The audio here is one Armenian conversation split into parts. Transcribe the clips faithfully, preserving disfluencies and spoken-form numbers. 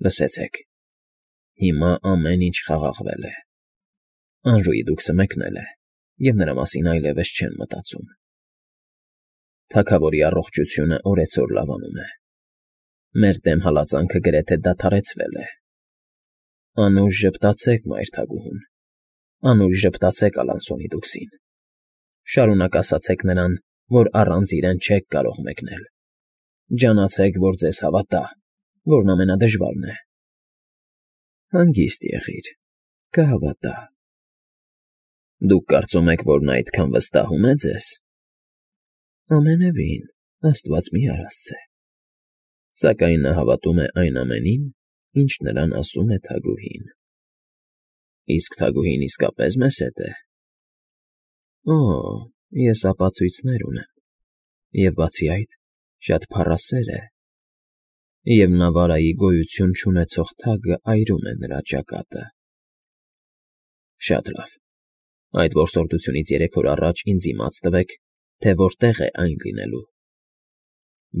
Լսեցեք, հիմա ամեն ինչ խաղաղվել է, Անժուի դուքսը մեկնել է, և նրա մասին այլևս չեն մտածում. թագավորի առողջությունը օրեցօր լավանում է, մեր դեմ հալածանքը գրեթե դադարեցվել է, անուշ ժպտացեք մայր թագուհուն, անուշ ժպտացեք Ալանսոնի դուքսին, շարունակ ասացեք նրան, որ առանց իրեն չեք կարող մեկնել, ջանացեք, որ ձեզ հավատա, որն ամենադժվարն է, հանգիստ եղիր, կհավատա, դուք կարծում եք, որ նա այդքան վստահում է ձեզ, ամենևին, աստված մի արասցե, սակայն նա հավատում է այն ամենին, ինչ նրան ասում է թագուհին, իսկ թագուհին իսկապես մեզ հետ է, օ, ես ապացույցներ ունեմ, և բացի այդ, շատ փառասեր է, և Նավարայի գոյություն չունեցող թագը այրում է նրա ճակատը, շատ լավ, այդ որսորդությունից երեք օր առաջ ինձ իմաց տվեք, թե որտեղ է այն լինելու,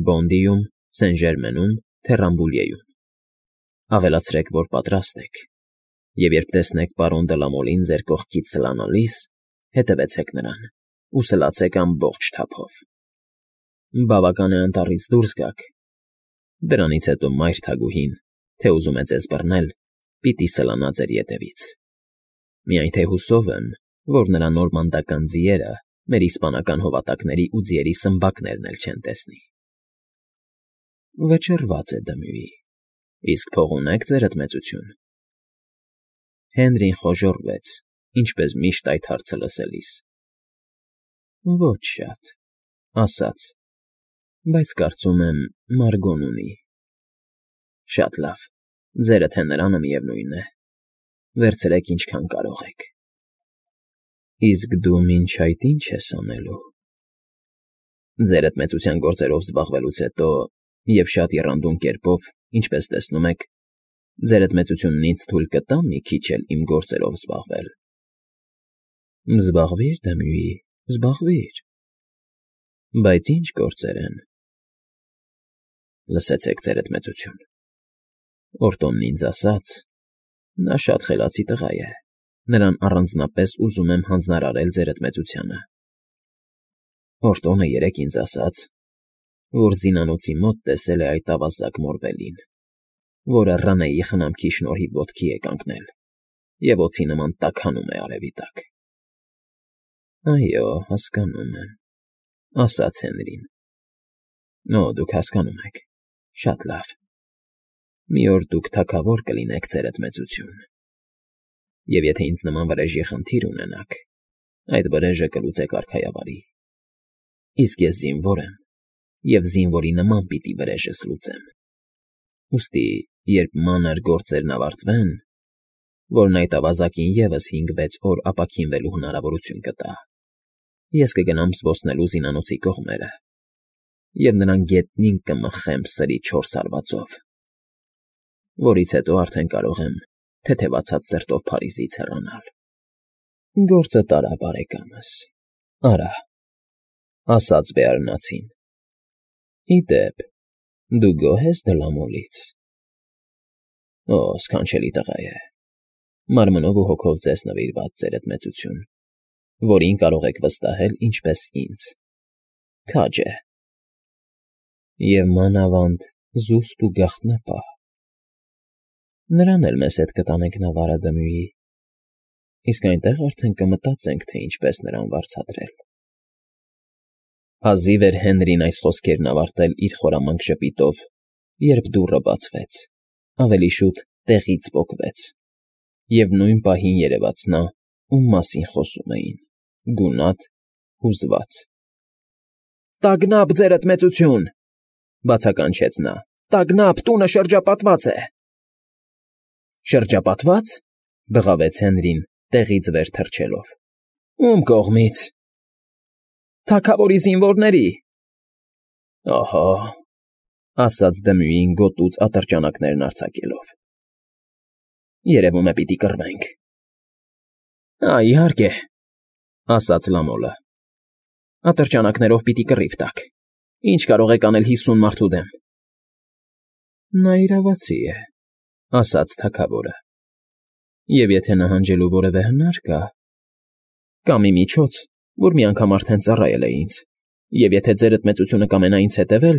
Բոնդիում, Սեն Ժերմենում, թե Ռամբուլիեում, ավելացրեք, որ պատրաստ եք, և երբ տեսնեք պարոն Դլամոլին ձեր կողքից սլանալիս, հետևեցեք նրան ու սլացեք ամբողջ թափով, բավական է անտառից դուրս գաք, դրանից հետո մայր թագուհին, թե ուզում է ձեզ բռնել, պիտի սլանա ձեր ետևից, միայն թե հուսով եմ, որ նրա նորմանդական ձիերը մեր իսպանական հովատակների ու ձիերի սմբակներն էլ չեն տեսնի։ Վճռված է Դմյուի, իսկ փող ունե՞ք, ձերդ մեծություն։ Հենրին խոժոռվեց, ինչպես միշտ այդ հարցը լսելիս։ Ոչ շատ, ասաց, բայց կարծում եմ Մարգոն ունի։ Շատ լավ, ձերը թե նրանը միևնույն է, վերցրեք ինչքան կարող եք։ Իսկ դու մինչ այդ ի՞նչ ես անելու։ Ձերդ մեծության գործերով զբաղվելուց հետո և շատ եռանդուն կերպով, ինչպես տեսնում եք, ձերդ մեծությունն ինձ թույլ կտա մի քիչ էլ իմ գործերով զբաղվել։ Զբաղվիր, Դմյուի, զբաղվիր։ Բայց ի՞նչ գործեր են։ Լսեցեք, ձերդ մեծություն։ Օրտոնն ինձ ասաց, նա շատ խելացի տղա է, նրան առանձնապես ուզում եմ հանձնարարել ձերդ մեծությանը։ Օրտոնը երեկ ինձ ասաց, որ զինանոցի մոտ տեսել է այդ ավազակ Մորվելին, որը Ռանեի խնամքի շնորհիվ ոտքի է կանգնել և օձի նման տաքանում է արևի տակ։ Այո, հասկանում եմ, ասաց Հենրին։ Օ, դուք հասկանում եք, շատ լավ։ Մի օր դուք թագավոր կլինեք, ձերդ մեծություն։ Եվ եթե ինձ նման վրեժի խնդիր ունենաք, այդ վրեժը կլուծեք արքայավարի։ Իսկ ես զինվոր եմ, և զինվորի նման պիտի վրեժս լուծեմ։ Ուստի, երբ մանր գործերն ավարտվեն, որն այդ ավազակին ևս հինգ֊վեց օր ապաքինվելու հնարավորություն կտա, ես կգնամ զբոսնելու զինանոցի կողմերը և նրան գետնին կմխեմ սրի չորս հարվածով, որից հետո արդեն կարող եմ թեթևացած սրտով Փարիզից հեռանալ։ Գործը տարա, բարեկամս, արա, ասաց Բեարնացին։ Ի դեպ, դու գոհ ես Դլամոլից։ Օ, սքանչելի տղա է, մարմնով ու հոգով ձեզ նվիրված, ձերդ մեծություն, որին կարող եք վստահել ինչպես ինձ, քաջ է։ Եվ մանավանդ զուսպ ու գաղտնապահ։ Նրան էլ մեզ հետ կտանենք Նավարը, Դմյուի, իսկ այնտեղ արդեն կմտածենք, թե ինչպես նրան վարձատրել։ Հազիվ էր Հենրին այս խոսքերն ավարտել իր խորամանկ ժպիտով, երբ դուռը բացվեց, ավելի շուտ տեղից պոկվեց, և նույն պահին երևաց նա, ում մասին խոսում էին, գունատ, հուզված։ Տագնապ, ձերդ մեծություն, բացականչեց նա, տագնապ, տունը շրջապատված է։ Շրջապատվա՞ծ, բղավեց Հենրին, տեղից վեր թռչելով։ Ում կողմից։ Թագավորի զինվորների։ Ահա, ասաց Դմյուին գոտուց ատրճանակներն արձակելով։ Երևում է պիտի կռվենք։ Ա, իհարկե, ասաց Լամոլը։ Ատրճանակներով պիտի կռիվ տաք։ Ինչ կարող եք անել հիսուն մարդու դեմ։ Նա իրավացի է, ասաց թագավորը։ Եվ եթե նահանջելու որևէ հնար կա, կա մի միջոց, որ մի անգամ արդեն ծառայել է ինձ, և եթե ձերդ մեծությունը կամենա ինձ հետևել…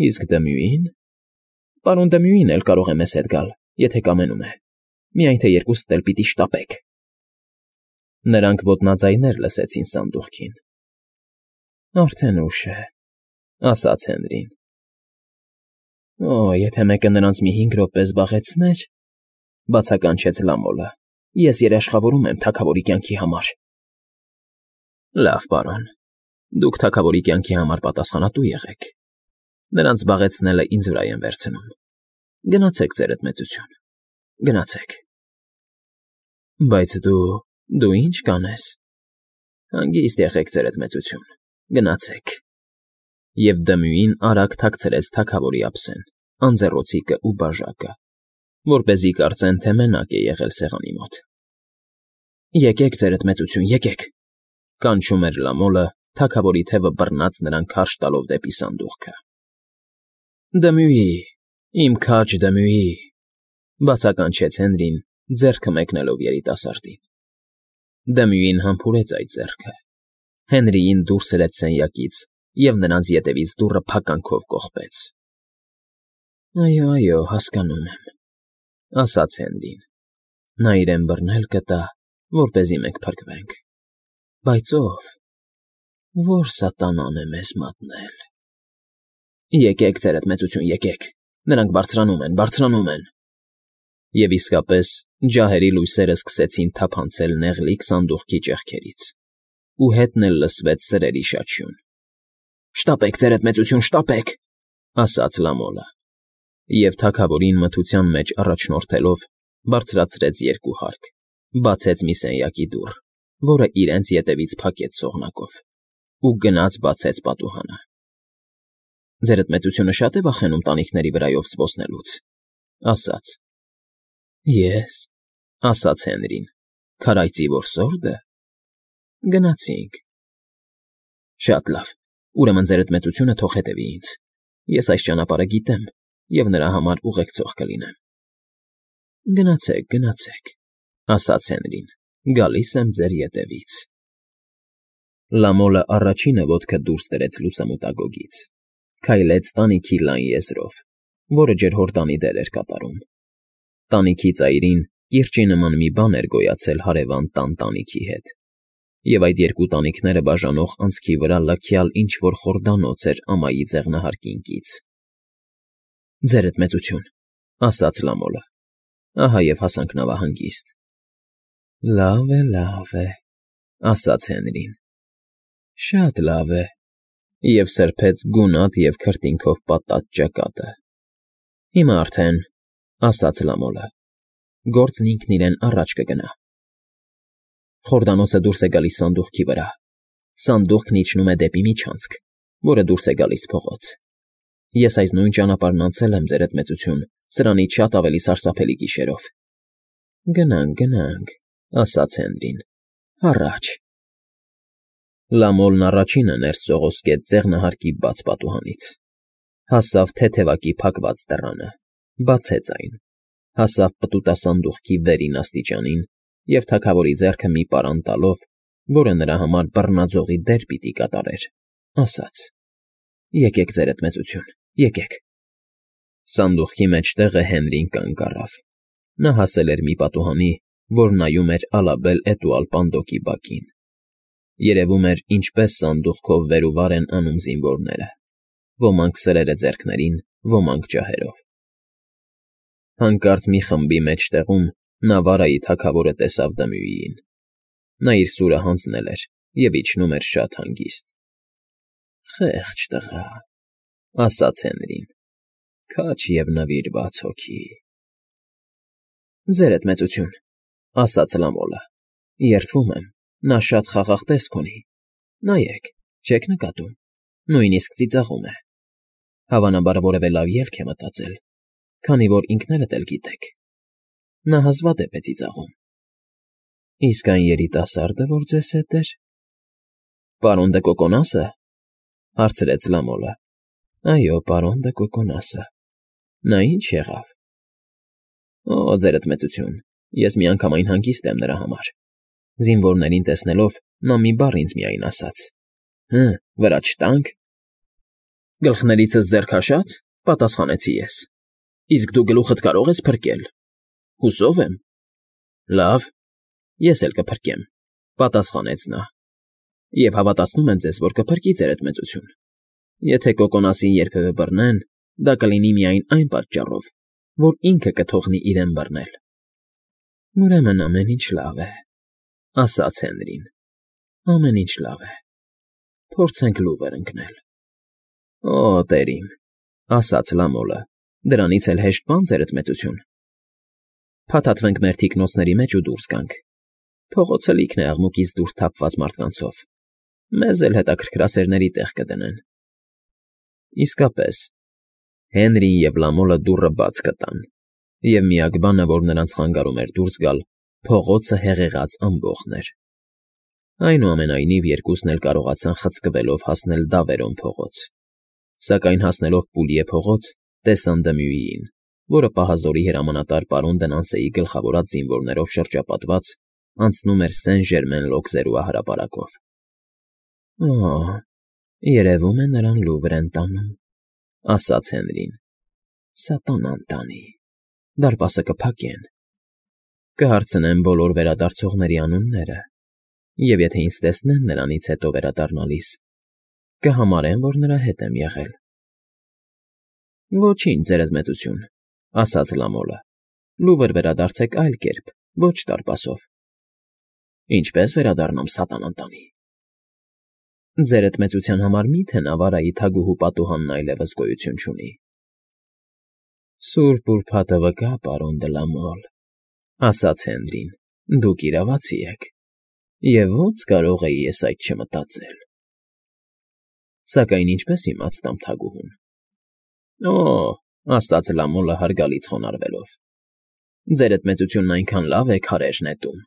Իսկ Դմյուին… Պարոն Դմյուին էլ կարող է մեզ հետ գալ, եթե կամենում է, միայն թե երկուսդ էլ պիտի շտապեք… Նրանք ոտնաձայներ լսեցին սանդուղքին։ Արդեն ուշ է, ասաց Հենրին։ Օ, եթե մեկը նրանց մի հինգ րոպե զբաղեցներ, բացականչեց Լամոլը, ես երաշխավորում եմ թագավորի կյանքի համար։ Լավ, պարոն, դուք թագավորի կյանքի համար պատասխանատու եղեք, նրանց զբաղեցնելը ինձ վրա եմ վերցնում, գնացեք ձերդ մեծություն, գնացեք։ Բայց դու… դու ի՞նչ կանես։ Հանգիստ եղեք ձերդ մեծություն, գնացեք։ Եվ Դմյուին արագ թաքցրեց թագավորի ափսեն, անձեռոցիկը ու բաժակը, որպեսզի կարծեն, թե մենակ է եղել սեղանի մոտ։ Եկեք, ձերդ մեծություն, եկեք, կանչում էր Լամոլը, թագավորի թևը բռնած նրան քարշ տալով դեպի սանդուղքը։ Դմյուի, իմ քաջ Դմյուի, բացականչեց Հենրին, ձեռքը մեկնելով երիտասարդին։ Դմյուին համբուրեց այդ ձեռքը, Հենրիին դուրս հրեց սենյակից և նրանց ետևից դուռը փականքով կողպեց։ Այո, այո, հասկանում եմ, ասաց Հենրին, նա իրեն բռնել կտա, որպեսզի մենք փրկվենք, բայց ո՞վ… Ո՞ր սատանան է մեզ մատնել… Եկեք, ձերդ մեծություն, եկեք, նրանք բարձրանում են, բարձրանում են… Եվ իսկապես ջահերի լույսերը սկսեցին թափանցել նեղլիկ սանդուղքի ճեղքերից, ու հետն էլ լսվեց սրերի շաչյուն։ Շտապեք, ձերդ մեծություն, շտապեք, ասաց Լամոլը, և թագավորին մթության մեջ առաջնորդելով բարձրացրեց երկու հարկ, բացեց մի սենյակի դուռ, որը իրենց ետևից փակեց սողնակով, ու գնաց բացեց պատուհանը։ Ձերդ մեծությունը շա՞տ է վախենում տանիքների վրայով զբոսնելուց, ասաց։ Ես, ասաց Հենրին, քարայծի որսորդը… Գնացինք։ Շատ լավ, ուրեմն ձերդ մեծությունը թող հետևի ինձ, ես այս ճանապարհը գիտեմ և նրա համար ուղեկցող կլինեմ։ Գնացեք, գնացեք, ասաց Հենրին, գալիս եմ ձեր ետևից։ Լամոլը առաջինը ոտքը դուրս դրեց լուսամուտագոգից, քայլեց տանիքի լայն եզրով, որը ջրհորդանի դեր էր կատարում։ Տանիքի ծայրին կիրճի նման մի բան էր գոյացել հարևան տան տանիքի հետ, և այդ երկու տանիքները բաժանող անցքի վրա լքյալ ինչ֊որ խորդանոց էր ամայի ձեղնահարկինքից։ Ձերդ մեծություն, ասաց Լամոլը, ահա և հասանք նավահանգիստ։ Լավ է, լավ է, ասաց Հենրին, շատ լավ է, և սրբեց գունատ և քրտինքով պատած ճակատը։ Հիմա արդեն, ասաց Լամոլը, գործն ինքն իրեն առաջ կգնա։ Խորդանոցը դուրս է գալիս սանդուղքի վրա, սանդուղքն իջնում է դեպի միջանցք, որը դուրս է գալիս փողոց։ Ես այս նույն ճանապարհն անցել եմ, ձերդ մեծություն, սրանից շատ ավելի սարսափելի գիշերով։ Գնանք, գնանք, ասաց Հենրին, առաջ։ Լամոլն առաջինը ներս սողոսկեց ձեղնահարկի բաց պատուհանից, հասավ թեթևակի փակված դռանը, բացեց այն, հասավ պտուտասանդուղքի վերին աստիճանին և թագավորի ձեռքը մի պարան տալով, որը նրա համար բռնաձողի դեր պիտի կատարեր, ասաց. Եկեք, ձերդ մեծություն, եկեք։ Սանդուղքի մեջտեղը Հենրին կանգ առավ։ Նա հասել էր մի պատուհանի, որ նայում էր ալաբել էտուալ պանդոկի բակին։ Երևում էր, ինչպես սանդուղքով վեր ու վար են անում զինվորները, ոմանք սրերը ձեռքներին, ոմանք ջահերով։ Հանկարծ մի խմբի մեջտեղում Նավարայի թագավորը տեսավ Դմյուիին։ Նա իր սուրը հանձնել էր և իջնում էր շատ հանգիստ։ Խեղճ տղա, ասաց Հենրին, քաջ և նվիրված հոգի։ Ձերդ մեծություն, ասաց Լամոլը, երդվում եմ, նա շատ խաղաղ տեսք ունի, նայեք, չեք նկատում, նույնիսկ ծիծաղում է, հավանաբար որևէ լավ ելք է մտածել, քանի որ ինքներդ էլ գիտեք, նա հազվադեպ է ծիծաղում։ Իսկ այն երիտասարդը, որ ձեզ հետ էր… Պարոն դը Կոկոնասը, հարցրեց Լամոլը։ Այո, պարոն դը Կոկոնասը։ Նա ի՞նչ եղավ։ Օ, ձերդ մեծություն, ես միանգամայն հանգիստ եմ նրա համար։ Զինվորներին տեսնելով նա մի բառ ինձ միայն ասաց. «Հը, վրա չտա՞նք»։ Գլխներիցս ձեռ քաշա՞ծ, պատասխանեցի ես։ Իսկ դու գլուխդ կարո՞ղ ես փրկել։ Հուսով եմ։ Լավ, ես էլ կփրկեմ, պատասխանեց նա։ Եվ հավատացնում եմ ձեզ, որ կփրկի ձերդ մեծություն։ Եթե Կոկոնասին երբևէ բռնեն, դա կլինի միայն այն պատճառով, որ ինքը կթողնի իրեն բռնել։ Ուրեմն ամեն ինչ լավ է, ասաց Հենրին։ Ամեն ինչ լավ է։ Փորձենք լուվր ընկնել։ Օ, տեր իմ, ասաց Լամոլը, դրանից էլ հեշտ բան, ձերդ մեծություն։ Փաթաթվենք մեր թիկնոցների մեջ ու դուրս գանք։ Փողոցը լիքն է աղմուկից դուրս թափված մարդկանցով։ Մեզ էլ հետաքրքրասերների տեղ կդնեն։ Իսկապես, Հենրին և Լամոլը դուռը բաց կտան, և միակ բանը, որ նրանց խանգարում էր դուրս գալ, փողոցը հեղեղած ամբոխն էր։ Այնուամենայնիվ երկուսն էլ կարողացան խցկվելով հասնել Դավերոն փողոց, սակայն հասնելով Պուլիե փողոց, տեսան Դմյուիին, որը պահազորի հրամանատար պարոն Դնանսեի գլխավորած զինվորներով շրջապատված անցնում էր Սեն֊Ժերմեն լոգզերուա հրապարակով։ Օ, երևում է նրան լուվր են տանում, ասաց Հենրին։ Սատանան տանի, դարպասը կփակեն։ Կհարցնեմ բոլոր վերադարձողների անունները, և եթե ինձ տեսնեն նրանից հետո վերադառնալիս, կհամարեն, որ նրա հետ եմ եղել։ Ոչինչ, ձերդ մեծություն, ասաց Լամոլը, լուվր վերադարձեք այլ կերպ, ոչ դարպասով։ Ինչպե՞ս վերադառնամ սատանան տանի։ Ձերդ մեծության համար մի՞թե Նավարայի թագուհու պատուհանն այլևս գոյություն չունի։ Սուրբ ուրբաթը վկա, պարոն Դլամոլ, ասաց Հենրին, դուք իրավացի եք, և ո՞նց կարող էի ես այդ չմտածել։ Սակայն ինչպես իմացամ թագուհուն։ Օ, ասաց Լամոլը հարգալից խոնարհվելով։ Ձերդ մեծությունն այնքան լավ է քարեր նետում,